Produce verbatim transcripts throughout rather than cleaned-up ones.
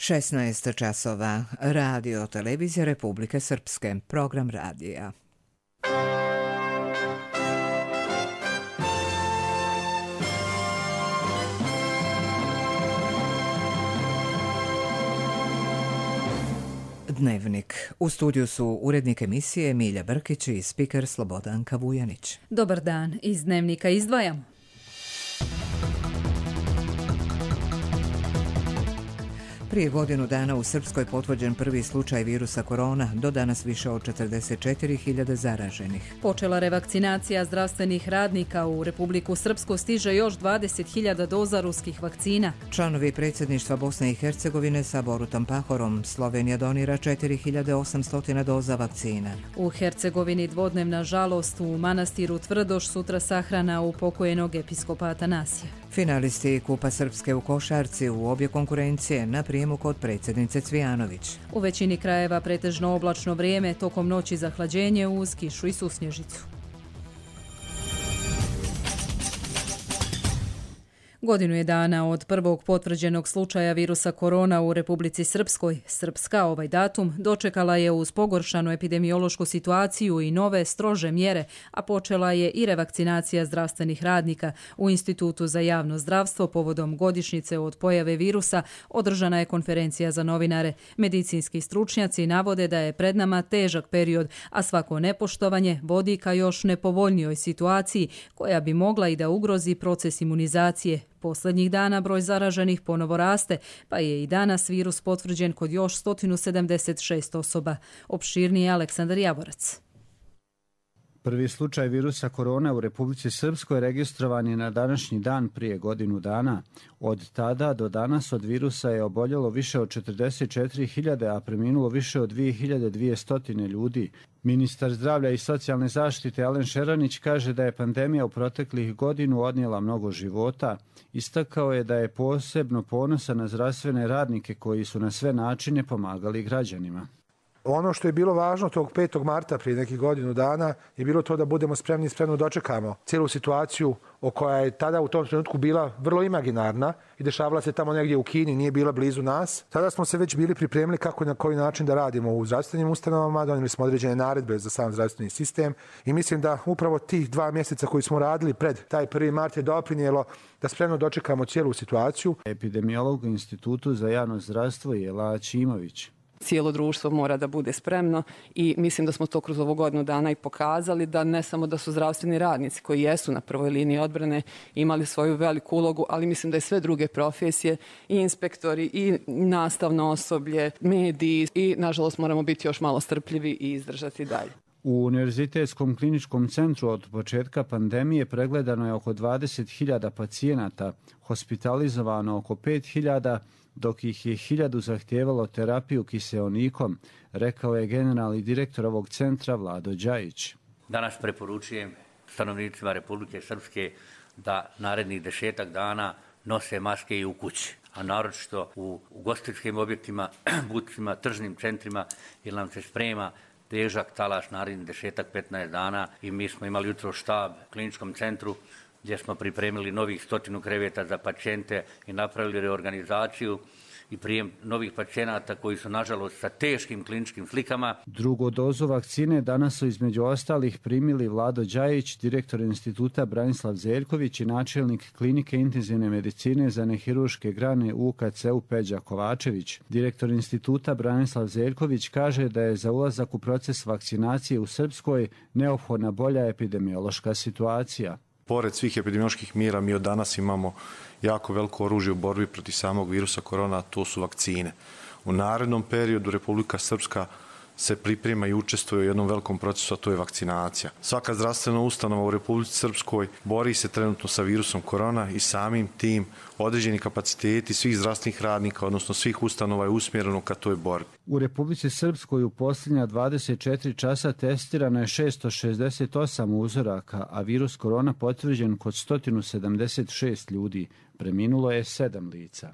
šesnaest časova. Radio televizija Republike Srpske. Program radija. Dnevnik. U studiju su urednik emisije Milja Brkić i spiker Slobodanka Vujanić. Dobar dan. Iz Dnevnika izdvajamo. Prije godinu dana u Srpskoj potvrđen prvi slučaj virusa korona, do danas više od četrdeset četiri hiljade zaraženih. Počela revakcinacija zdravstvenih radnika, u Republiku Srpsku stiže još dvadeset hiljada doza ruskih vakcina. Članovi predsjedništva Bosne i Hercegovine sa Borutom Pahorom, Slovenija donira četiri hiljade osamsto doza vakcina. U Hercegovini dvodnevna žalost, u manastiru Tvrdoš sutra sahrana upokojenog episkopa Atanasija. Finalisti Kupa Srpske u košarci u obje konkurencije na prijemu kod predsjednice Cvijanović. U većini krajeva pretežno oblačno vrijeme, tokom noći zahlađenje uz kišu i susnježicu. Godinu je dana od prvog potvrđenog slučaja virusa korona u Republici Srpskoj. Srpska ovaj datum dočekala je uz pogoršanu epidemiološku situaciju i nove strože mjere, a počela je i revakcinacija zdravstvenih radnika. U Institutu za javno zdravstvo povodom godišnjice od pojave virusa održana je konferencija za novinare. Medicinski stručnjaci navode da je pred nama težak period, a svako nepoštovanje vodi ka još nepovoljnijoj situaciji koja bi mogla i da ugrozi proces imunizacije. Posljednjih dana broj zaraženih ponovo raste, pa je i danas virus potvrđen kod još sto sedamdeset šest osoba. Opširniji Aleksandar Javorac. Prvi slučaj virusa korona u Republici Srpskoj registrovan je na današnji dan prije godinu dana. Od tada do danas od virusa je oboljelo više od četrdeset četiri hiljade, a preminulo više od dvije hiljade dvjesto ljudi. Ministar zdravlja i socijalne zaštite Alen Šeranić kaže da je pandemija u proteklih godinu odnijela mnogo života. Istakao je da je posebno ponosan na zdravstvene radnike koji su na sve načine pomagali građanima. Ono što je bilo važno tog petog marta prije nekih godinu dana je bilo to da budemo spremni i spremno dočekamo cijelu situaciju o koja je tada u tom trenutku bila vrlo imaginarna i dešavala se tamo negdje u Kini, nije bila blizu nas. Tada smo se već bili pripremili kako i na koji način da radimo u zdravstvenim ustanovama, donijeli smo određene naredbe za sam zdravstveni sistem i mislim da upravo tih dva mjeseca koji smo radili pred taj prvi mart je doprinijelo da spremno dočekamo cijelu situaciju. Epidemiolog u Institutu za javno zdravstvo Jela Ačimović. Cijelo društvo mora da bude spremno i mislim da smo to kroz ovu godinu dana i pokazali, da ne samo da su zdravstveni radnici koji jesu na prvoj liniji odbrane imali svoju veliku ulogu, ali mislim da i sve druge profesije, i inspektori, i nastavno osoblje, mediji, i nažalost moramo biti još malo strpljivi i izdržati dalje. U Univerzitetskom kliničkom centru od početka pandemije pregledano je oko dvadeset hiljada pacijenata, hospitalizovano oko pet hiljada, dok ih je hiljadu zahtijevalo terapiju kiseonikom, rekao je generalni direktor ovog centra Vlado Đajić. Danas preporučujem stanovnicima Republike Srpske da narednih desetak dana nose maske i u kući, a naročito u ugostiteljskim objektima, buticima, tržnim centrima, jer nam se sprema težak talaš narednih desetak petnaest dana i mi smo imali jutro štab u kliničkom centru gdje smo pripremili novih stotinu kreveta za pacijente i napravili reorganizaciju i prijem novih pacijenata koji su nažalost sa teškim kliničkim slikama. Drugu dozu vakcine danas su između ostalih primili Vlado Đajić, direktor instituta Branislav Zeljković i načelnik klinike intenzivne medicine za nehiruške grane u K C-u Peđa Kovačević. Direktor instituta Branislav Zeljković kaže da je za ulazak u proces vakcinacije u Srpskoj neophodna bolja epidemiološka situacija. Pored svih epidemioloških mjera mi od danas imamo jako veliko oružje u borbi protiv samog virusa korona, a to su vakcine. U narednom periodu Republika Srpska se priprema i učestvuje u jednom velikom procesu, a to je vakcinacija. Svaka zdravstvena ustanova u Republici Srpskoj bori se trenutno sa virusom korona i samim tim određeni kapaciteti svih zdravstvenih radnika, odnosno svih ustanova je usmjereno ka toj borbi. U Republici Srpskoj u posljednja dvadeset četiri časa testirano je šesto šezdeset osam uzoraka, a virus korona potvrđen kod sto sedamdeset šest ljudi. Preminulo je sedam lica.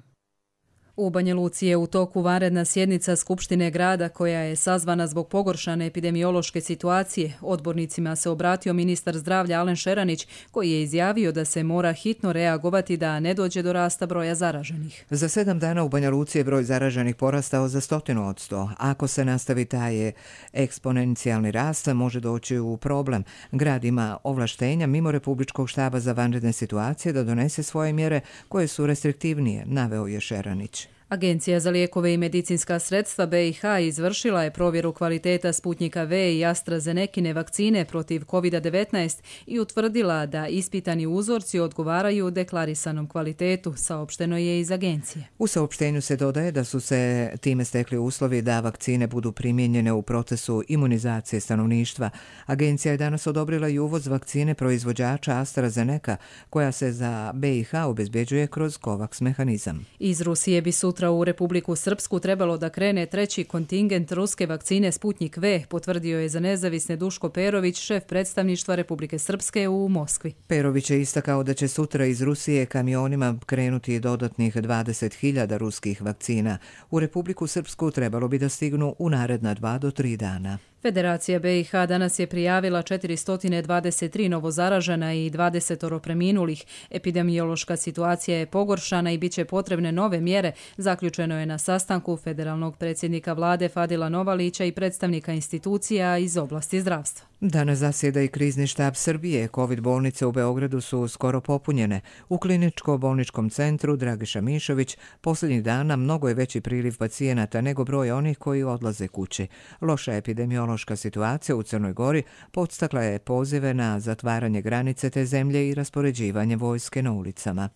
U Banja Luci je u toku vanredna sjednica Skupštine grada koja je sazvana zbog pogoršane epidemiološke situacije. Odbornicima se obratio ministar zdravlja Alen Šeranić koji je izjavio da se mora hitno reagovati da ne dođe do rasta broja zaraženih. Za sedam dana u Banja Luci je broj zaraženih porastao za stotinu od sto. Ako se nastavi taj eksponencijalni rast, može doći u problem. Grad ima ovlaštenja mimo Republičkog štaba za vanredne situacije da donese svoje mjere koje su restriktivnije, naveo je Šeranić. Agencija za lijekove i medicinska sredstva B i H izvršila je provjeru kvaliteta Sputnjika V i AstraZenekine vakcine protiv kovid devetnaest i utvrdila da ispitani uzorci odgovaraju deklarisanom kvalitetu, saopšteno je iz agencije. U saopštenju se dodaje da su se time stekli uslovi da vakcine budu primijenjene u procesu imunizacije stanovništva. Agencija je danas odobrila i uvoz vakcine proizvođača AstraZeneca, koja se za B i H obezbeđuje kroz COVAX mehanizam. Iz Rusije bi sutra u Republiku Srpsku trebalo da krene treći kontingent ruske vakcine Sputnjik V, potvrdio je za nezavisne Duško Perović, šef predstavništva Republike Srpske u Moskvi. Perović je istakao da će sutra iz Rusije kamionima krenuti dodatnih dvadeset hiljada ruskih vakcina. U Republiku Srpsku trebalo bi da stignu u naredna dva do tri dana. Federacija B i H danas je prijavila četiristo dvadeset tri novozaražena i dvadeset preminulih. Epidemiološka situacija je pogoršana i bit će potrebne nove mjere, zaključeno je na sastanku federalnog predsjednika vlade Fadila Novalića i predstavnika institucija iz oblasti zdravstva. Danas zasjeda i krizni štab Srbije. Covid bolnice u Beogradu su skoro popunjene. U kliničko-bolničkom centru Dragiša Mišović posljednjih dana mnogo je veći priliv pacijenata nego broj onih koji odlaze kući. Loša epidemiološka situacija u Crnoj Gori podstakla je pozive na zatvaranje granice te zemlje i raspoređivanje vojske na ulicama.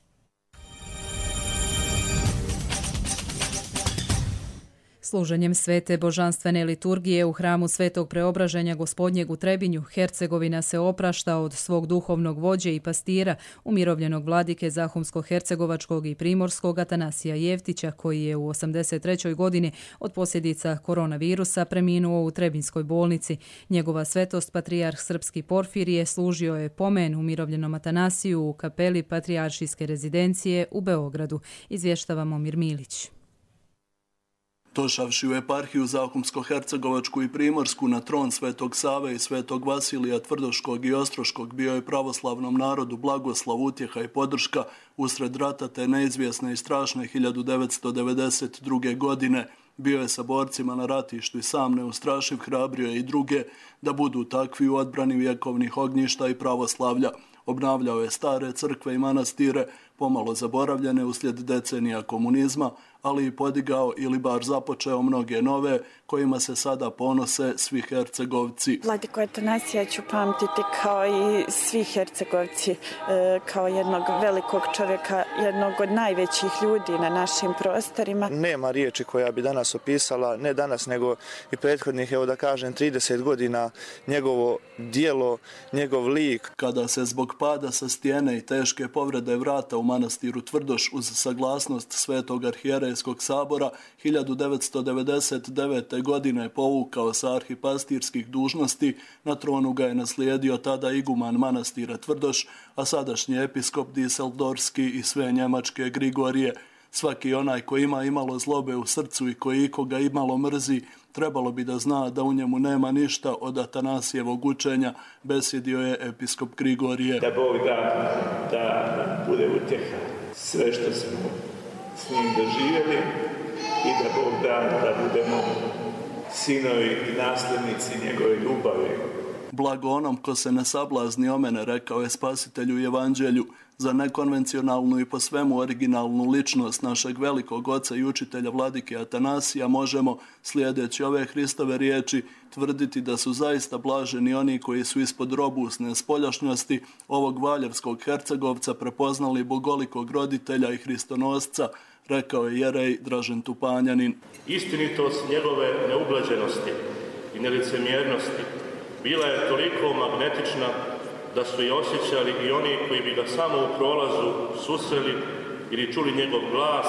Služenjem svete božanstvene liturgije u hramu Svetog Preobraženja Gospodnjeg u Trebinju, Hercegovina se oprašta od svog duhovnog vođe i pastira, umirovljenog vladike Zahumsko-hercegovačkog i primorskog Atanasija Jeftića, koji je u osamdeset trećoj godini od posljedica koronavirusa preminuo u Trebinskoj bolnici. Njegova svetost, patrijarh srpski Porfirije, služio je pomen umirovljenom Atanasiju u kapeli Patrijaršijske rezidencije u Beogradu, izvještava Momir Milić. Došavši u eparhiju Zahumsko-hercegovačku i primorsku na tron Svetog Save i Svetog Vasilija Tvrdoškog i Ostroškog bio je pravoslavnom narodu blagoslov, utjeha i podrška usred rata te neizvjesne i strašne hiljadu devetsto devedeset druge. godine. Bio je sa borcima na ratištu i sam neustrašiv hrabrio je i druge da budu takvi u odbrani vjekovnih ognjišta i pravoslavlja. Obnavljao je stare crkve i manastire, pomalo zaboravljene uslijed decenija komunizma, ali i podigao ili bar započeo mnoge nove, kojima se sada ponose svi Hercegovci. Vladiku Atanasija ću pamtiti kao i svi Hercegovci, kao jednog velikog čovjeka, jednog od najvećih ljudi na našim prostorima. Nema riječi koja bi danas opisala, ne danas nego i prethodnih, evo da kažem, trideset godina, njegovo dijelo, njegov lik. Kada se zbog pada sa stijene i teške povrede vrata u manastiru Tvrdoš uz saglasnost Svetog arhijerejskog sabora hiljadu devetsto devedeset devete. godine povukao sa arhipastirskih dužnosti, na tronu ga je naslijedio tada iguman manastira Tvrdoš, a sadašnji episkop Diseldorski i sve njemačke Grigorije. Svaki onaj koji ima imalo zlobe u srcu i koji ikoga imalo mrzi, trebalo bi da zna da u njemu nema ništa od Atanasijevog učenja, besjedio je episkop Grigorije. Da Bog da, da bude utjeha sve što smo s njim doživjeli i da Bog da da budemo sinovi i nasljednici njegove ljubavi. Blago onom ko se ne sablazni o mene, rekao je spasitelju u evanđelju. Za nekonvencionalnu i po svemu originalnu ličnost našeg velikog oca i učitelja vladike Atanasija možemo, slijedeći ove Hristove riječi, tvrditi da su zaista blaženi oni koji su ispod robusne spoljašnjosti ovog valjevskog Hercegovca prepoznali bogolikog roditelja i hristonosca, rekao je jerej Dražen Tupanjanin. Istinitost njegove neublaženosti i nelicemjernosti bila je toliko magnetična da su je osjećali i oni koji bi ga samo u prolazu susreli ili čuli njegov glas,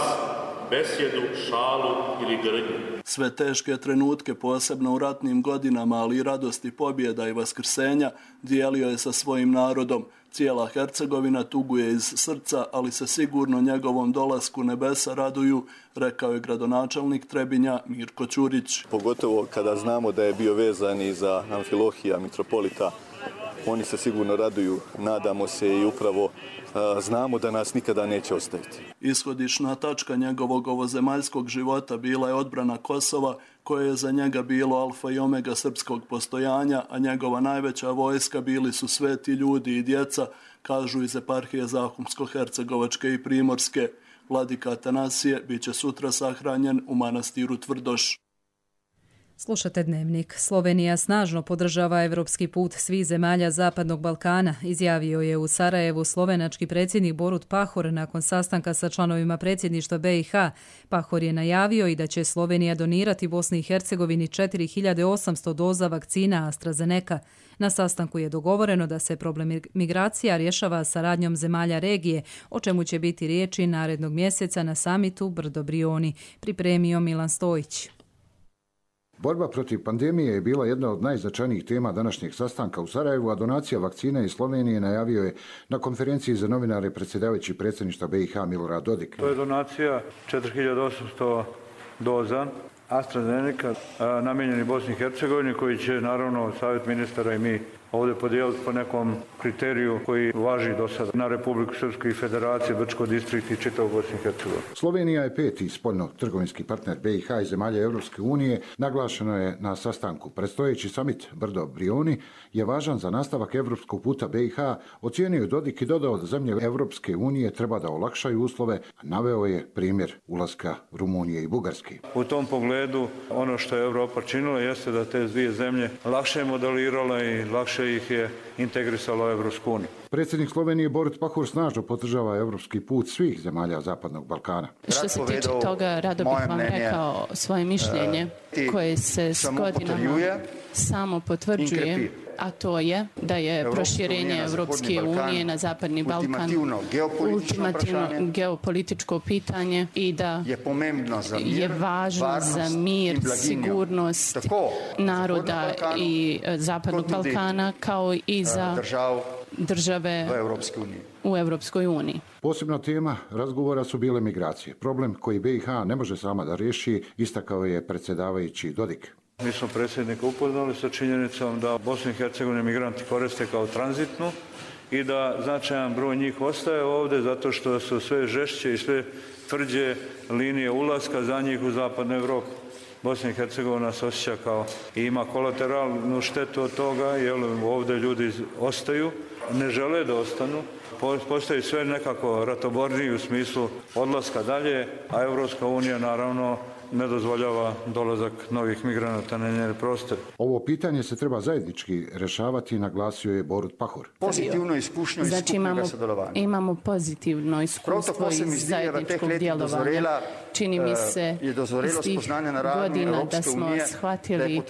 besjedu, šalu ili grdnju. Sve teške trenutke, posebno u ratnim godinama, ali i radosti pobjeda i vaskrsenja, dijelio je sa svojim narodom. Cijela Hercegovina tuguje iz srca, ali se sigurno njegovom dolasku nebesa raduju, rekao je gradonačelnik Trebinja Mirko Ćurić. Pogotovo kada znamo da je bio vezan i za Amfilohija, mitropolita, oni se sigurno raduju, nadamo se i upravo a, znamo da nas nikada neće ostaviti. Ishodišna tačka njegovog ovozemaljskog života bila je odbrana Kosova, koje je za njega bilo alfa i omega srpskog postojanja, a njegova najveća vojska bili su sveti ljudi i djeca, kažu iz eparhije Zahumsko-hercegovačke i Primorske. Vladika Atanasije bit će sutra sahranjen u manastiru Tvrdoš. Slušate Dnevnik. Slovenija snažno podržava evropski put svih zemalja Zapadnog Balkana, izjavio je u Sarajevu slovenački predsjednik Borut Pahor nakon sastanka sa članovima predsjedništva B i H. Pahor je najavio i da će Slovenija donirati Bosni i Hercegovini četiri hiljade osamsto doza vakcina AstraZeneca. Na sastanku je dogovoreno da se problem migracija rješava saradnjom zemalja regije, o čemu će biti riječi narednog mjeseca na samitu Brdo Brioni, pripremio Milan Stojić. Borba protiv pandemije je bila jedna od najznačajnijih tema današnjeg sastanka u Sarajevu, a donacija vakcina iz Slovenije najavio je na konferenciji za novinare predsjedavajući predsjedništva B i H Milorad Dodik. To je donacija četiri hiljade osamsto doza AstraZeneca namijenjeni Bosni i Hercegovini, koji će naravno Savjet ministara i mi ovdje podijeliti po nekom kriteriju koji važi do sada na Republiku Srpsku i Federaciju, Brčko distrikt i čitavu Bosnu i Hercegovinu. Slovenija je peti spoljno-trgovinski partner B i H i zemalja Europske unije, naglašeno je na sastanku. Predstojeći samit Brdo Brioni je važan za nastavak evropskog puta B i H, ocijenio je Dodik i dodao da zemlje Europske unije treba da olakšaju uslove, naveo je primjer ulaska Rumunije i Bugarske. U tom pogledu ono što je Europa činila jeste da te dvije zemlje lakše modelirala i lakše ih je integrisalo u Evropsku uniju. Predsjednik Slovenije Borut Pahor snažno podržava evropski put svih zemalja Zapadnog Balkana. Što se tiče toga, rado bih vam rekao svoje mišljenje koje se s godinama samo potvrđuje, a to je da je proširenje Evropske unije na Zapadni Balkan ultimativno geopolitičko pitanje i da je važno za mir, sigurnost naroda i Zapadnog Balkana kao i za države u Evropskoj uniji. Posebna tema razgovora su bile migracije. Problem koji B i H ne može sama da riješi, istakao je predsjedavajući Dodik. Mi smo predsjednika upoznali sa činjenicom da Bosnu i Hercegovinu migranti koriste kao tranzitnu i da značajan broj njih ostaje ovdje zato što su sve žešće i sve tvrđe linije ulaska za njih u Zapadnu Evropu. Bosna i Hercegovina se osjeća kao i ima kolateralnu štetu od toga, jer ovdje ljudi ostaju, ne žele da ostanu. Postoji sve nekako ratoborniji u smislu odlaska dalje, a Evropska unija naravno ne dozvoljava dolazak novih migranata na njene prostore. Ovo pitanje se treba zajednički rešavati, naglasio je Borut Pahor. Pozitivno iskušnjo iz znači, imamo, imamo pozitivno iskustvo iz zajedničkog djelovanja. Čini mi se iz tih godina da smo shvatili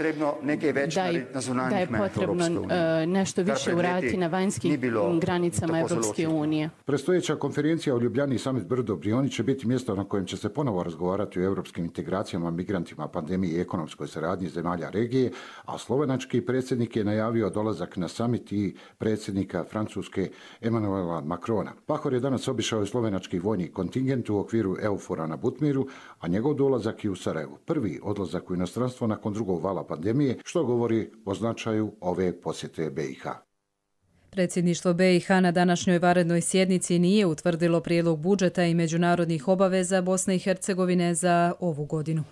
da je, da je potrebno nešto više uraditi na vanjskim granicama Evropske unije. Predstojeća konferencija u Ljubljani Summit Brdo Brioni će biti mjesto na kojem će se ponovo razgovarati o evropskim integracijama, migrantima, pandemiji i ekonomskoj saradnji zemalja regije, a slovenački predsjednik je najavio dolazak na summit i predsjednika Francuske Emmanuela Macrona. Pahor je danas obišao slovenački vojni kontingent u okviru EUFOR-a na Butmiru, a njegov dolazak je u Sarajevu. Prvi odlazak u inostranstvo nakon drugog vala pandemije, što govori o značaju ove posjete B i H. Predsjedništvo B i H na današnjoj vanrednoj sjednici nije utvrdilo prijedlog budžeta i međunarodnih obaveza Bosne i Hercegovine za ovu godinu.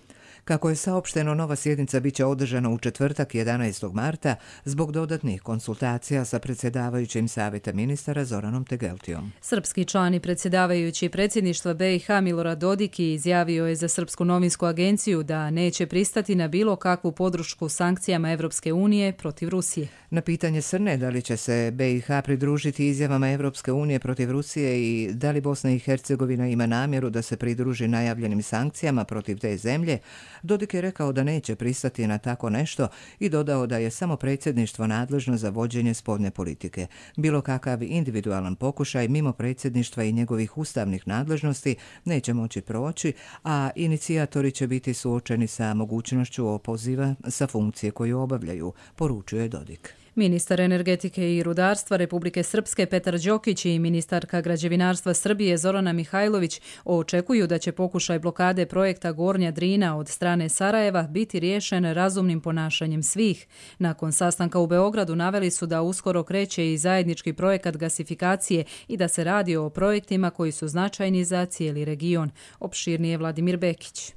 Kako je saopšteno, nova sjednica biće održana u četvrtak jedanaestog marta zbog dodatnih konsultacija sa predsjedavajućim Savjeta ministara Zoranom Tegeltijom. Srpski član i predsjedavajući predsjedništva B i H Milorad Dodik izjavio je za Srpsku novinsku agenciju da neće pristati na bilo kakvu podršku sankcijama Evropske unije protiv Rusije. Na pitanje Srne da li će se B i H pridružiti izjavama Evropske unije protiv Rusije i da li Bosna i Hercegovina ima namjeru da se pridruži najavljenim sankcijama protiv te zemlje, Dodik je rekao da neće pristati na tako nešto i dodao da je samo predsjedništvo nadležno za vođenje spoljne politike. Bilo kakav individualan pokušaj mimo predsjedništva i njegovih ustavnih nadležnosti neće moći proći, a inicijatori će biti suočeni sa mogućnošću opoziva sa funkcije koju obavljaju, poručuje Dodik. Ministar energetike i rudarstva Republike Srpske Petar Đokić i ministarka građevinarstva Srbije Zorana Mihajlović očekuju da će pokušaj blokade projekta Gornja Drina od strane Sarajeva biti riješen razumnim ponašanjem svih. Nakon sastanka u Beogradu naveli su da uskoro kreće i zajednički projekat gasifikacije i da se radi o projektima koji su značajni za cijeli region. Opširnije Vladimir Bekić.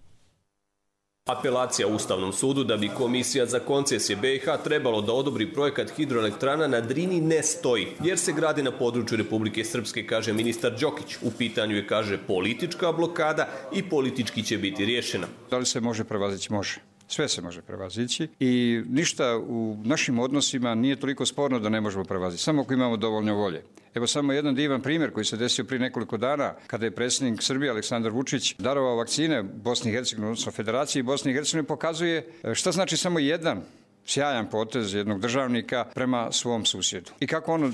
Apelacija u Ustavnom sudu da bi Komisija za koncesije B i H trebalo da odobri projekat hidroelektrana na Drini ne stoji, jer se gradi na području Republike Srpske, kaže ministar Đokić. U pitanju je, kaže, politička blokada i politički će biti riješena. Da li se može prevazići? Može. Sve se može prevazići i ništa u našim odnosima nije toliko sporno da ne možemo prevazići, samo ako imamo dovoljno volje. Evo samo jedan divan primjer koji se desio prije nekoliko dana kada je predsjednik Srbije Aleksandar Vučić darovao vakcine Bosni i Hercegovini, odnosno Federaciji Bosne i Hercegovine, pokazuje šta znači samo jedan sjajan potez jednog državnika prema svom susjedu. I kako ono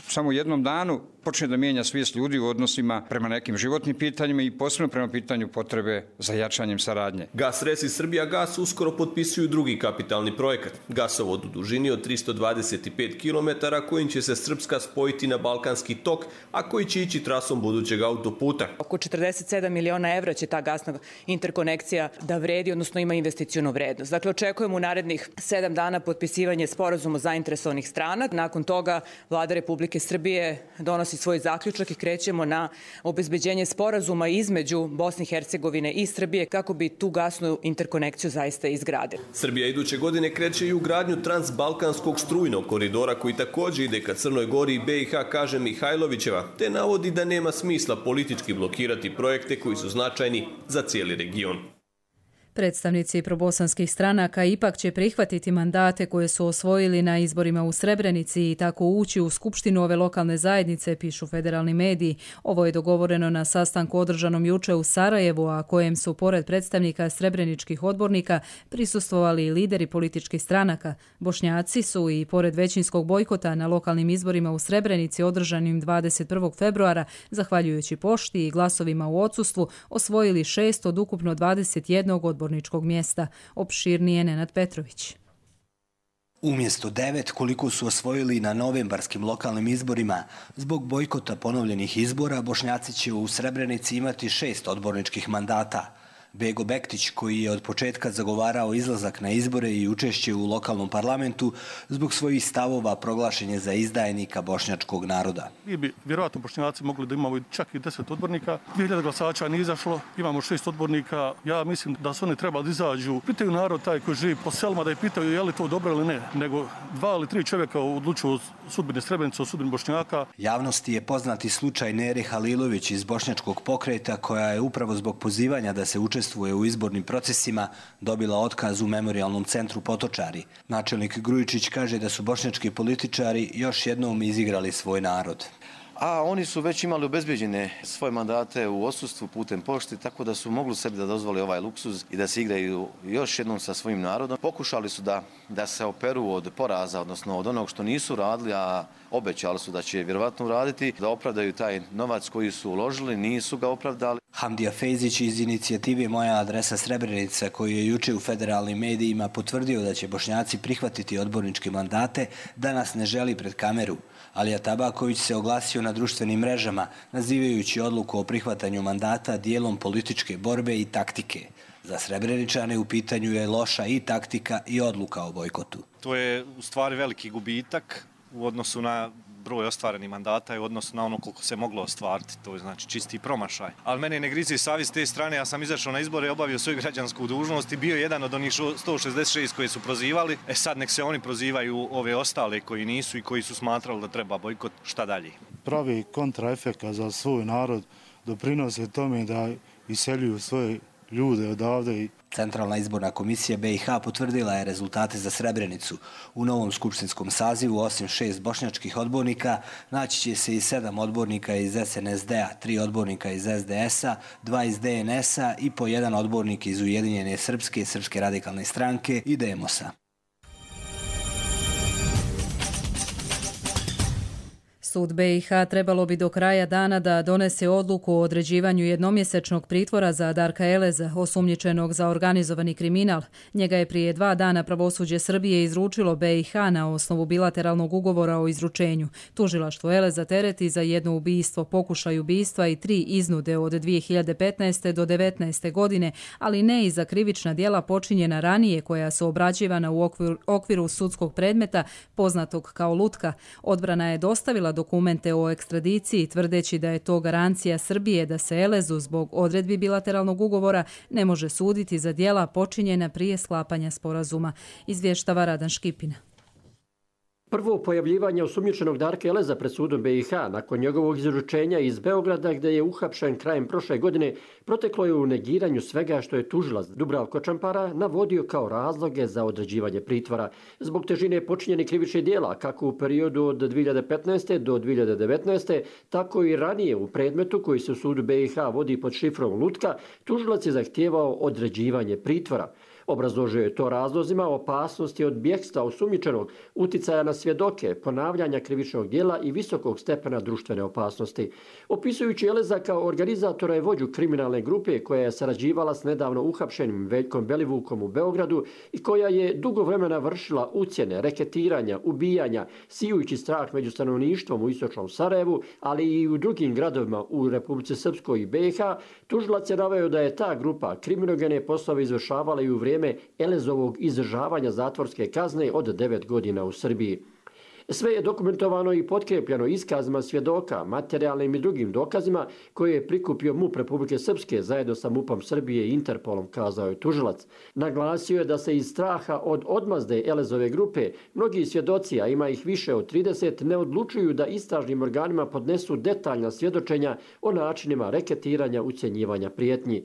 samo jednom danu počne da mijenja svijest ljudi u odnosima prema nekim životnim pitanjima i posebno prema pitanju potrebe za jačanjem saradnje. Gas Res i Srbija Gas uskoro potpisuju drugi kapitalni projekat. Gasovod u dužini od tristo dvadeset pet kilometara kojim će se Srpska spojiti na Balkanski tok, a koji će ići trasom budućeg autoputa. Oko četrdeset sedam miliona evra će ta gasna interkonekcija da vredi, odnosno ima investicionu vrednost. Dakle, očekujemo u narednih sedam dana potpisivanje sporazuma zainteresovanih strana. Nakon toga Vlada Republike Srbije donosi svoj zaključak i krećemo na obezbeđenje sporazuma između Bosne i Hercegovine i Srbije kako bi tu gasnu interkonekciju zaista izgradili. Srbija iduće godine kreće i u gradnju transbalkanskog strujnog koridora koji također ide ka Crnoj Gori i B i H, kaže Mihajlovićeva, te navodi da nema smisla politički blokirati projekte koji su značajni za cijeli region. Predstavnici probosanskih stranaka ipak će prihvatiti mandate koje su osvojili na izborima u Srebrenici i tako ući u skupštinu ove lokalne zajednice, pišu federalni mediji. Ovo je dogovoreno na sastanku održanom juče u Sarajevu, a kojem su pored predstavnika srebreničkih odbornika prisustvovali i lideri političkih stranaka. Bošnjaci su i pored većinskog bojkota na lokalnim izborima u Srebrenici održanim dvadeset prvog februara, zahvaljujući pošti i glasovima u odsustvu, osvojili šest od ukupno dvadeset jednog odbornika mjesta. Opširnije Nenad Petrović. Umjesto devet, koliko su osvojili na novembarskim lokalnim izborima, zbog bojkota ponovljenih izbora, Bošnjaci će u Srebrenici imati šest odborničkih mandata. Bego Bektić, koji je od početka zagovarao izlazak na izbore i učešće u lokalnom parlamentu, zbog svojih stavova proglašen je za izdajnika bošnjačkog naroda. Mi bi vjerojatno Bošnjaci mogli da imamo čak i deset odbornika. dvije hiljade glasača nije izašlo, imamo šest odbornika. Ja mislim da su oni trebali da izađu. Pitaju narod taj koji živi po selima da je pitaju je li to dobro ili ne. Nego dva ili tri čovjeka odlučuju sudbine Srebrenice, o sudbini Bošnjaka. Javnosti je poznati slučaj Nere Halilović iz Bošnjačkog pokreta, koja je upravo zbog pozivanja da se učestvuje u izbornim procesima dobila otkaz u Memorijalnom centru Potočari. Načelnik Grujičić kaže da su bošnjački političari još jednom izigrali svoj narod. A oni su već imali obezbeđene svoje mandate u odsustvu putem pošte, tako da su mogli sebi da dozvole ovaj luksuz i da se igraju još jednom sa svojim narodom. Pokušali su da, da se operu od poraza, odnosno od onog što nisu radili, a obećali su da će vjerovatno uraditi, da opravdaju taj novac koji su uložili, nisu ga opravdali. Hamdija Fejzić iz inicijative Moja adresa Srebrenica, koji je juče u federalnim medijima potvrdio da će Bošnjaci prihvatiti odborničke mandate, danas ne želi pred kameru. Alija Tabaković se oglasio na društvenim mrežama, nazivajući odluku o prihvatanju mandata dijelom političke borbe i taktike. Za Srebreničane u pitanju je loša i taktika i odluka o bojkotu. To je u stvari veliki gubitak u odnosu na broj ostvarenih mandata i u odnosu na ono koliko se moglo ostvariti. To je znači čisti promašaj. Ali mene ne grizi savjest s te strane. Ja sam izašao na izbore, obavio svoju građansku dužnost i bio jedan od onih sto šezdeset šest koji su prozivali. E sad nek se oni prozivaju ove ostale koji nisu i koji su smatrali da treba bojkot. Šta dalje? Pravi kontraefekt za svoj narod doprinose tome da iseljuju svoje ljude odavde. Centralna izborna komisija B i H potvrdila je rezultate za Srebrenicu. U novom skupštinskom sazivu, osim šest bošnjačkih odbornika, naći će se i sedam odbornika iz S N S D-a, tri odbornika iz S D S-a, dva iz D N S-a i po jedan odbornik iz Ujedinjene Srpske, Srpske radikalne stranke i Demosa. Sud B i H trebalo bi do kraja dana da donese odluku o određivanju jednomjesečnog pritvora za Darka Eleza, osumnjičenog za organizovani kriminal. Njega je prije dva dana pravosuđe Srbije izručilo B i H na osnovu bilateralnog ugovora o izručenju. Tužilaštvo Eleza tereti za jedno ubistvo, pokušaj ubistva i tri iznude od dvije hiljade petnaeste do devetnaeste godine, ali ne i za krivična djela počinjena ranije koja su obrađivana u okviru, okviru sudskog predmeta poznatog kao lutka. Odbrana je dostavila do dokumente o ekstradiciji, tvrdeći da je to garancija Srbije da se Elezu zbog odredbi bilateralnog ugovora ne može suditi za djela počinjena prije sklapanja sporazuma, izvještava Radan Škipina. Prvo pojavljivanje osumnjičenog Darka Eleza pred sudom B i H nakon njegovog izručenja iz Beograda gdje je uhapšen krajem prošle godine proteklo je u negiranju svega što je tužilac Dubravko Čampara navodio kao razloge za određivanje pritvora. Zbog težine počinjenih krivičnih djela kako u periodu od dvije hiljade petnaeste do dvije hiljade devetnaeste, tako i ranije u predmetu koji se u sudu B i H vodi pod šifrom lutka, tužilac je zahtijevao određivanje pritvora. Obrazložio je to razlozima opasnosti od bjegstva osumnjičenog, uticaja na svjedoke, ponavljanja krivičnog djela i visokog stepena društvene opasnosti. Opisujući Eleza kao organizatora i vođu kriminalne grupe koja je sarađivala s nedavno uhapšenim Veljkom Belivukom u Beogradu i koja je dugo vremena vršila ucjene, reketiranja, ubijanja, sijujući strah među stanovništvom u istočnom Sarajevu, ali i u drugim gradovima u Republici Srpskoj i B i H, tužilac je naveo da je ta grupa kriminogene poslove izvršavala i u vrijeme Elezovog izdržavanja zatvorske kazne od devet godina u Srbiji. Sve je dokumentovano i potkrepljeno iskazima svjedoka, materijalnim i drugim dokazima koje je prikupio MUP Republike Srpske zajedno sa MUP-om Srbije i Interpolom, kazao je tužilac. Naglasio je da se iz straha od odmazde Elezove grupe mnogi svjedoci, a ima ih više od trideset, ne odlučuju da istražnim organima podnesu detaljna svjedočenja o načinima reketiranja, ucjenjivanja, prijetnji.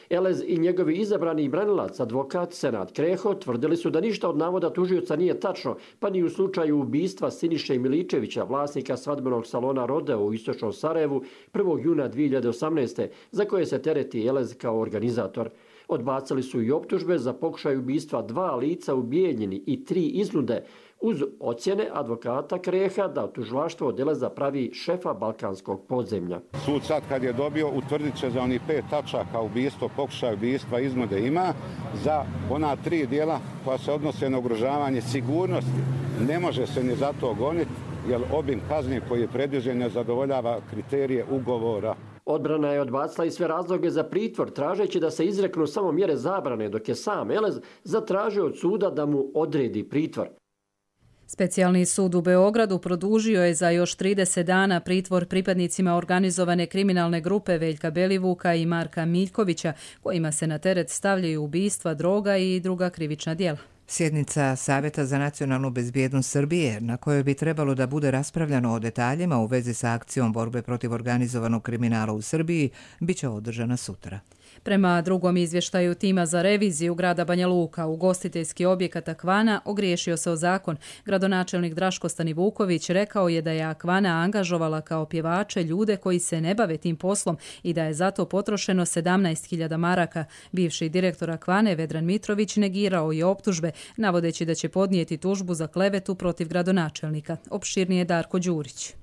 Elez i njegovi izabrani branilac, advokat Senad Kreho, tvrdili su da ništa od navoda tužioca nije tačno, pa ni u slučaju ubistva Siniše Miličevića, vlasnika svadbenog salona Rodeo u istočnom Sarajevu prvog juna dvije hiljade osamnaeste, za koje se tereti Elez kao organizator. Odbacili su i optužbe za pokušaj ubistva dva lica u Bijeljini i tri iznude, uz ocjene advokata Kreha da tužilaštvo od Eleza pravi šefa balkanskog podzemlja. Sud sad kad je dobio utvrdit će za onih pet tačaka ubistvo, pokušaj ubistva, iznude ima, za ona tri dijela koja se odnose na ugrožavanje sigurnosti. Ne može se ni za to goniti, jer obim kazni koji je predviđen ne zadovoljava kriterije ugovora. Odbrana je odbacila i sve razloge za pritvor, tražeći da se izreknu samo mjere zabrane, dok je sam Elez zatražio od suda da mu odredi pritvor. Specijalni sud u Beogradu produžio je za još trideset dana pritvor pripadnicima organizovane kriminalne grupe Veljka Belivuka i Marka Miljkovića, kojima se na teret stavljaju ubistva, droga i druga krivična djela. Sjednica Savjeta za nacionalnu bezbjednost Srbije, na kojoj bi trebalo da bude raspravljano o detaljima u vezi sa akcijom borbe protiv organizovanog kriminala u Srbiji, bit će održana sutra. Prema drugom izvještaju tima za reviziju grada Banja Luka, ugostiteljski objekat Akvana ogriješio se o zakon. Gradonačelnik Draško Stanivuković rekao je da je Akvana angažovala kao pjevače ljude koji se ne bave tim poslom i da je zato potrošeno sedamnaest hiljada maraka. Bivši direktor Akvane Vedran Mitrović negirao je optužbe, navodeći da će podnijeti tužbu za klevetu protiv gradonačelnika. Opširnije Darko Đurić.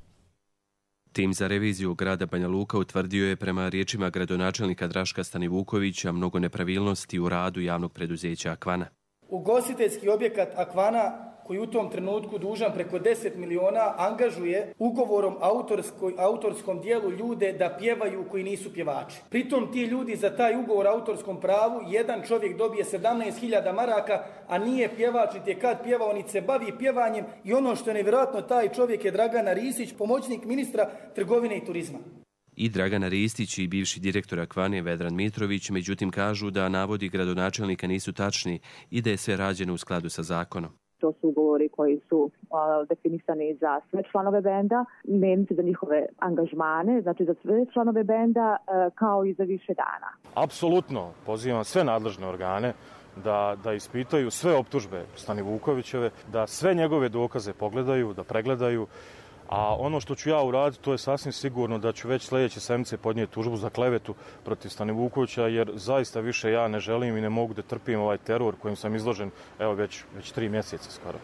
Tim za reviziju grada Banja Luka utvrdio je prema riječima gradonačelnika Draška Stanivukovića mnogo nepravilnosti u radu javnog preduzeća Akvana. Ugostiteljski objekat Akvana, koji u tom trenutku dužan preko deset miliona, angažuje ugovorom autorskoj, autorskom dijelu ljude da pjevaju koji nisu pjevači. Pritom ti ljudi za taj ugovor autorskom pravu, jedan čovjek dobije sedamnaest hiljada maraka, a nije pjevač, niti je kad pjevao, niti se bavi pjevanjem, i ono što je nevjerojatno, taj čovjek je Dragana Ristić, pomoćnik ministra trgovine i turizma. I Dragana Ristić i bivši direktor Akvane Vedran Mitrović međutim kažu da navodi gradonačelnika nisu tačni i da je sve rađeno u skladu sa zakonom. to su ugovori koji su a, definisani za sve članove benda, dnevnice za njihove angažmane, znači za sve članove benda a, kao i za više dana. Apsolutno pozivam sve nadležne organe da, da ispitaju sve optužbe Stanivukovićeve, da sve njegove dokaze pogledaju, da pregledaju. A ono što ću ja uraditi, to je sasvim sigurno da ću već sljedeće sedmice podnijeti tužbu za klevetu protiv Stanivukovića, jer zaista više ja ne želim i ne mogu da trpim ovaj teror kojim sam izložen evo već, već tri mjeseca skoro.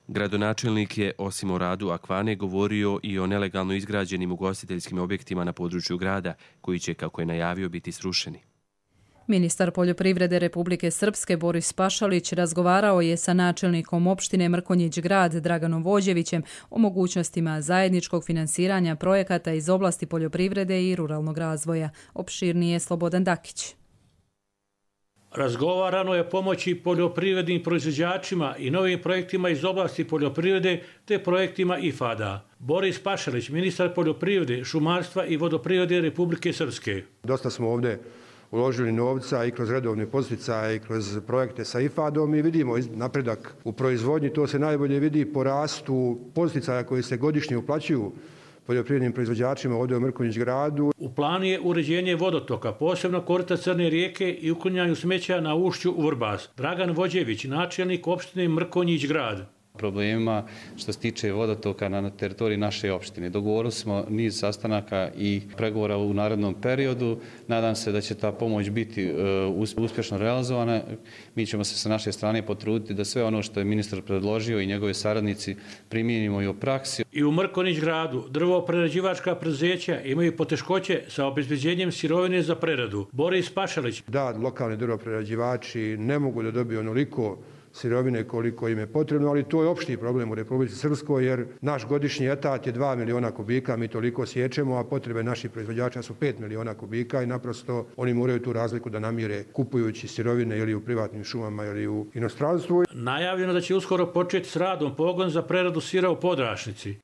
Gradonačelnik je, osim o radu Akvane, govorio i o nelegalno izgrađenim ugostiteljskim objektima na području grada, koji će, kako je najavio, biti srušeni. Ministar poljoprivrede Republike Srpske Boris Pašalić razgovarao je sa načelnikom opštine Mrkonjić Grad Draganom Vođevićem o mogućnostima zajedničkog finansiranja projekata iz oblasti poljoprivrede i ruralnog razvoja. Opširnije Slobodan Dakić. Razgovarano je pomoći poljoprivrednim proizvođačima i novim projektima iz oblasti poljoprivrede te projektima I F A D-a. Boris Pašalić, ministar poljoprivrede, šumarstva i vodoprivrede Republike Srpske. Dosta smo ovdje uložili novca i kroz redovne podsticaje i kroz projekte sa I F A D-om i vidimo napredak u proizvodnji. To se najbolje vidi po rastu podsticaja koji se godišnje uplaćuju poljoprivrednim proizvođačima ovdje u Mrkonjić Gradu. U planu je uređenje vodotoka, posebno korita Crne rijeke i uklanjanju smeća na ušću u Vrbas. Dragan Vođević, načelnik opštine Mrkonjić Grad. Problemima što se tiče vodotoka na teritoriji naše opštine. Dogovorili smo niz sastanaka i pregovora u narednom periodu. Nadam se da će ta pomoć biti uspješno realizovana. Mi ćemo se sa naše strane potruditi da sve ono što je ministar predložio i njegove saradnici primijenimo i u praksi. I u Mrkonjić Gradu drvo-prerađivačka preduzeća imaju poteškoće sa obezbeđenjem sirovine za preradu. Boris Pašalić. Da, lokalni drvo-prerađivači ne mogu da dobiju onoliko sirovine koliko im je potrebno, ali to je opšti problem u Republici Srpskoj, jer naš godišnji etat je dva miliona kubika, mi toliko sjećemo, a potrebe naših proizvođača su pet miliona kubika i naprosto oni moraju tu razliku da namire kupujući sirovine ili u privatnim šumama ili u inostranstvu. Najavljeno da će uskoro početi s radom pogon za preradu sira u Podrašnici.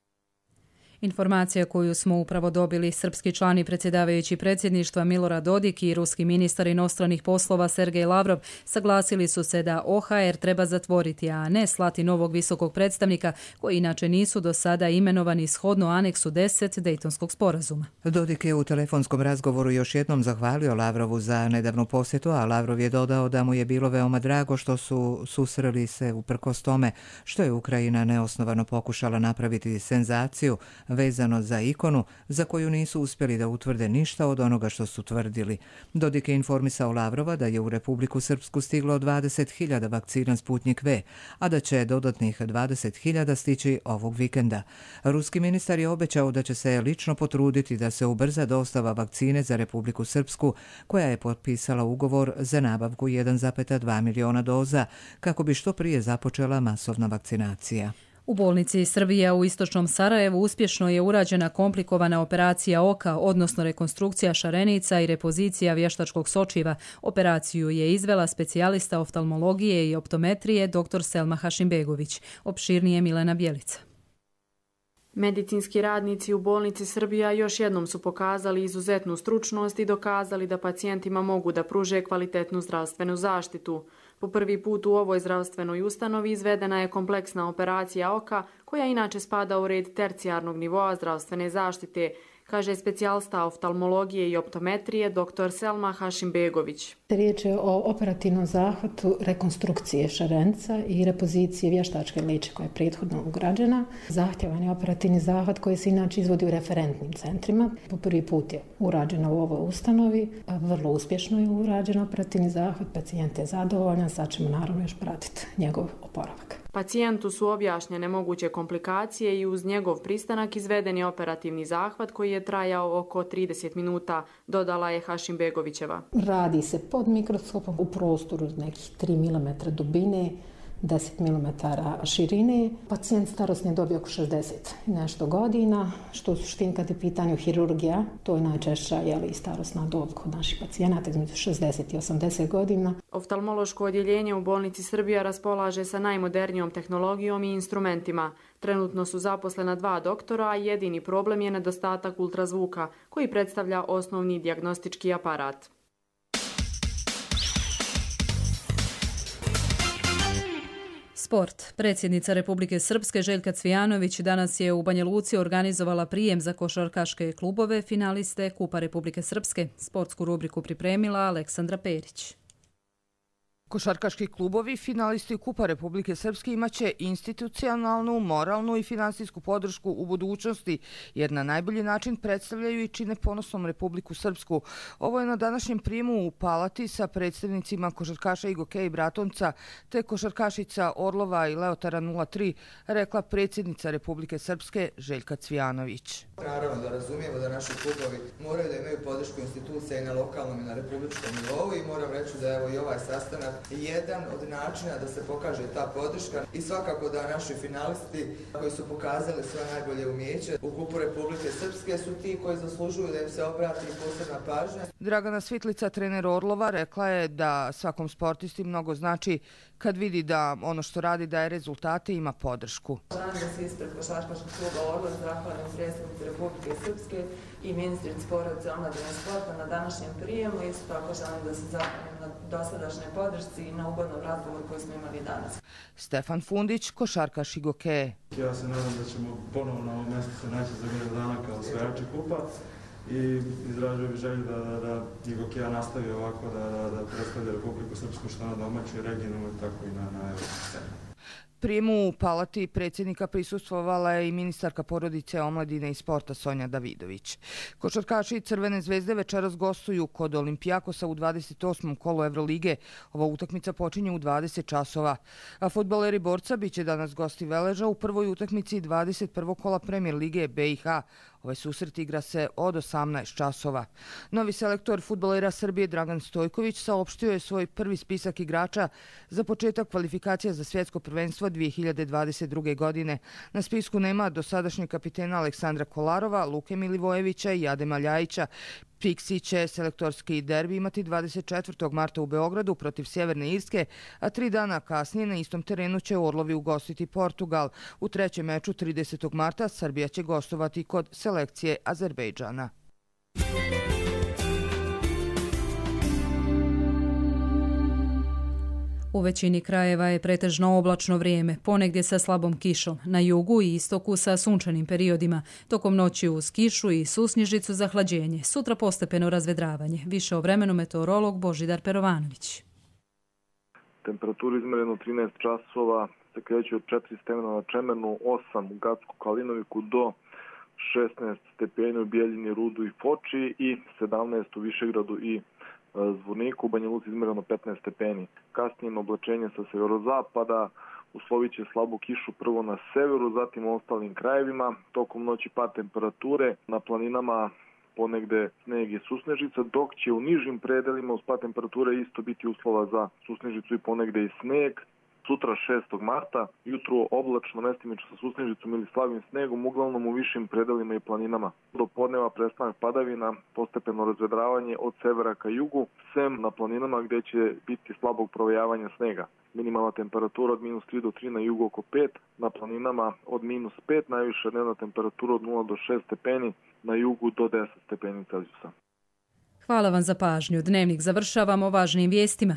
Informacija koju smo upravo dobili, srpski član i predsjedavajući predsjedništva Milorad Dodik i ruski ministar inostranih poslova Sergej Lavrov saglasili su se da O H R treba zatvoriti, a ne slati novog visokog predstavnika, koji inače nisu do sada imenovani shodno aneksu deset Dejtonskog sporazuma. Dodik je u telefonskom razgovoru još jednom zahvalio Lavrovu za nedavnu posjetu, a Lavrov je dodao da mu je bilo veoma drago što su susreli se uprkos tome što je Ukrajina neosnovano pokušala napraviti senzaciju vezano za ikonu za koju nisu uspjeli da utvrde ništa od onoga što su tvrdili. Dodik je informisao Lavrova da je u Republiku Srpsku stiglo dvadeset hiljada vakcina Sputnik V, a da će dodatnih dvadeset hiljada stići ovog vikenda. Ruski ministar je obećao da će se lično potruditi da se ubrza dostava vakcine za Republiku Srpsku, koja je potpisala ugovor za nabavku jedan zarez dva miliona doza, kako bi što prije započela masovna vakcinacija. U bolnici Srbija u istočnom Sarajevu uspješno je urađena komplikovana operacija oka, odnosno rekonstrukcija šarenica i repozicija vještačkog sočiva. Operaciju je izvela specijalista oftalmologije i optometrije dr. Selma Hašimbegović. Opširnije Milena Bjelica. Medicinski radnici u bolnici Srbija još jednom su pokazali izuzetnu stručnost i dokazali da pacijentima mogu da pruže kvalitetnu zdravstvenu zaštitu. Po prvi put u ovoj zdravstvenoj ustanovi izvedena je kompleksna operacija oka, koja inače spada u red tercijarnog nivoa zdravstvene zaštite, kaže specijalista oftalmologije i optometrije dr. Selma Hašimbegović. Riječ je o operativnom zahvatu rekonstrukcije šarenca i repozicije vještačke liče koja je prethodno ugrađena. Zahtjevan je operativni zahvat koji se inače izvodi u referentnim centrima. Po prvi put je urađeno u ovoj ustanovi, vrlo uspješno je urađen operativni zahvat, pacijent je zadovoljan, sad ćemo naravno još pratiti njegov oporavak. Pacijentu su objašnjene moguće komplikacije i uz njegov pristanak izveden je operativni zahvat koji je trajao oko trideset minuta, dodala je Hašimbegovićeva. Radi se pod mikroskopom u prostoru nekih tri milimetra dubine, deset milimetara širine. Pacijent starosne dobi oko šezdeset nešto godina, što u suštini kad je pitanju hirurgija, to je najčešća jeli, starosna dob kod naših pacijenata između šezdeset i osamdeset godina. Oftalmološko odjeljenje u bolnici Srbija raspolaže sa najmodernijom tehnologijom i instrumentima. Trenutno su zaposlena dva doktora, a jedini problem je nedostatak ultrazvuka, koji predstavlja osnovni dijagnostički aparat. Sport. Predsjednica Republike Srpske Željka Cvijanović danas je u Banja Luci organizovala prijem za košarkaške klubove finaliste Kupa Republike Srpske. Sportsku rubriku pripremila Aleksandra Perić. Košarkaški klubovi, finalisti Kupa Republike Srpske, imaće institucionalnu, moralnu i finansijsku podršku u budućnosti, jer na najbolji način predstavljaju i čine ponosnom Republiku Srpsku. Ovo je na današnjem prijemu u Palati sa predstavnicima košarkaša Igoke i Bratonca te košarkašica Orlova i Leotara nula tri, rekla predsjednica Republike Srpske Željka Cvijanović. Naravno da razumijemo da naši klubovi moraju da imaju podršku institucija i na lokalnom i na republičkom nivou i moram reći da evo i ovaj sastanak jedan od načina da se pokaže ta podrška i svakako da naši finalisti koji su pokazali svoje najbolje umijeće u Kupu Republike Srpske su ti koji zaslužuju da im se obrati posebna pažnja. Dragana Svitlica, trener Orlova, rekla je da svakom sportisti mnogo znači kad vidi da ono što radi daje rezultate i ima podršku. Želim da se ispred košarkaškog kluba Orlov zahvalim predsjednici Republike Srpske i ministrici porodice, omladine i sporta na današnjem prijemu. Isto tako želim da se zahvalim na dosadašnjoj podršci i na ugodnom razgovoru koji smo imali danas. Stefan Fundić, košarkaš Igoke. Ja se nadam da ćemo ponovo na ovom mjestu se naći za godinu dana kao osvajači kupa i izražujem želju da, da, da Igokeja nastavi ovako, da, da, da predstavlja Republiku Srpsku što na domaćoj, regionalnoj, tako i na, na evropskoj sceni. Prijemu u Palati predsjednika prisustvovala je i ministarka porodice, omladine i sporta Sonja Davidović. Košarkaši Crvene zvezde večeras gostuju kod Olimpijakosa u dvadeset osmom kolu Evrolige. Ova utakmica počinje u dvadeset časova. A fudbaleri Borca biće danas gosti Veleža u prvoj utakmici dvadeset prvog kola Premier lige B i H. Ovaj susret igra se od osamnaest časova. Novi selektor fudbalera Srbije Dragan Stojković saopštio je svoj prvi spisak igrača za početak kvalifikacija za svjetsko prvenstvo dvije hiljade dvadeset druge. godine. Na spisku nema dosadašnjeg kapitena Aleksandra Kolarova, Luke Milivojevića i Adema Ljajića. Pixi će selektorski derbi imati dvadeset četvrtog marta u Beogradu protiv Sjeverne Irske, a tri dana kasnije na istom terenu će Orlovi ugostiti Portugal. U trećem meču tridesetog marta Srbija će gostovati kod selekcije Azerbejdžana. U većini krajeva je pretežno oblačno vrijeme, ponegdje sa slabom kišom, na jugu i istoku sa sunčanim periodima, tokom noći uz kišu i susnježicu za hlađenje, sutra postepeno razvedravanje. Više o vremenu meteorolog Božidar Perovanović. Temperaturu izmerenu trinaest časova se kreće od četiri stepena na Čemernu, osam u Gacku Kalinoviku do šesnaest stepeni u Bijeljini, Rudu i Foči i sedamnaest u Višegradu i Zvorniku, u Banja Luci izmereno petnaest stepeni. Kasnije oblačenje sa severozapada, uslovit će slabu kišu prvo na severu, zatim u ostalim krajevima. Tokom noći pad temperature, na planinama ponegde sneg i susnežica, dok će u nižim predelima uz pad temperature isto biti uslova za susnežicu i ponegde i sneg. Sutra šestog marta, jutro oblačno, mestimično sa susnežicom ili slabim snegom, uglavnom u višim predelima i planinama. Do podneva prestanak padavina, postepeno razvedravanje od severa ka jugu, sem na planinama gdje će biti slabog provejavanja snega. Minimalna temperatura od minus tri do tri na jugu oko pet, na planinama od minus pet, najviša dnevna temperatura od nula do šest stepeni, na jugu do deset stepeni Celzijusa. Hvala vam za pažnju. Dnevnik završavamo važnim vijestima.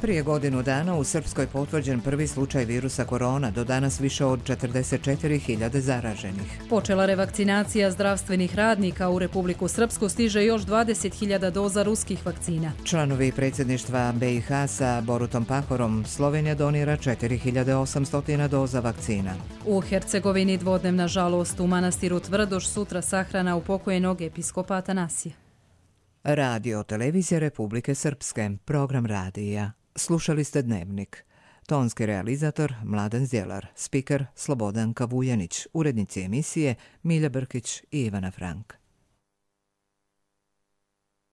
Prije godinu dana u Srpskoj potvrđen prvi slučaj virusa korona, do danas više od četrdeset četiri hiljade zaraženih. Počela revakcinacija zdravstvenih radnika, u Republiku Srpsku stiže još dvadeset hiljada doza ruskih vakcina. Članovi predsjedništva B i H sa Borutom Pahorom, Slovenija donira četiri hiljade osamsto doza vakcina. U Hercegovini dvodnevna žalost u manastiru Tvrdoš, sutra sahrana upokojenog episkopa Atanasija. Radio televizija Republike Srpske, program radija. Slušali ste Dnevnik. Tonski realizator Mladen Zjelar, spiker Slobodan Kavujanić, urednici emisije Milja Brkić i Ivana Frank.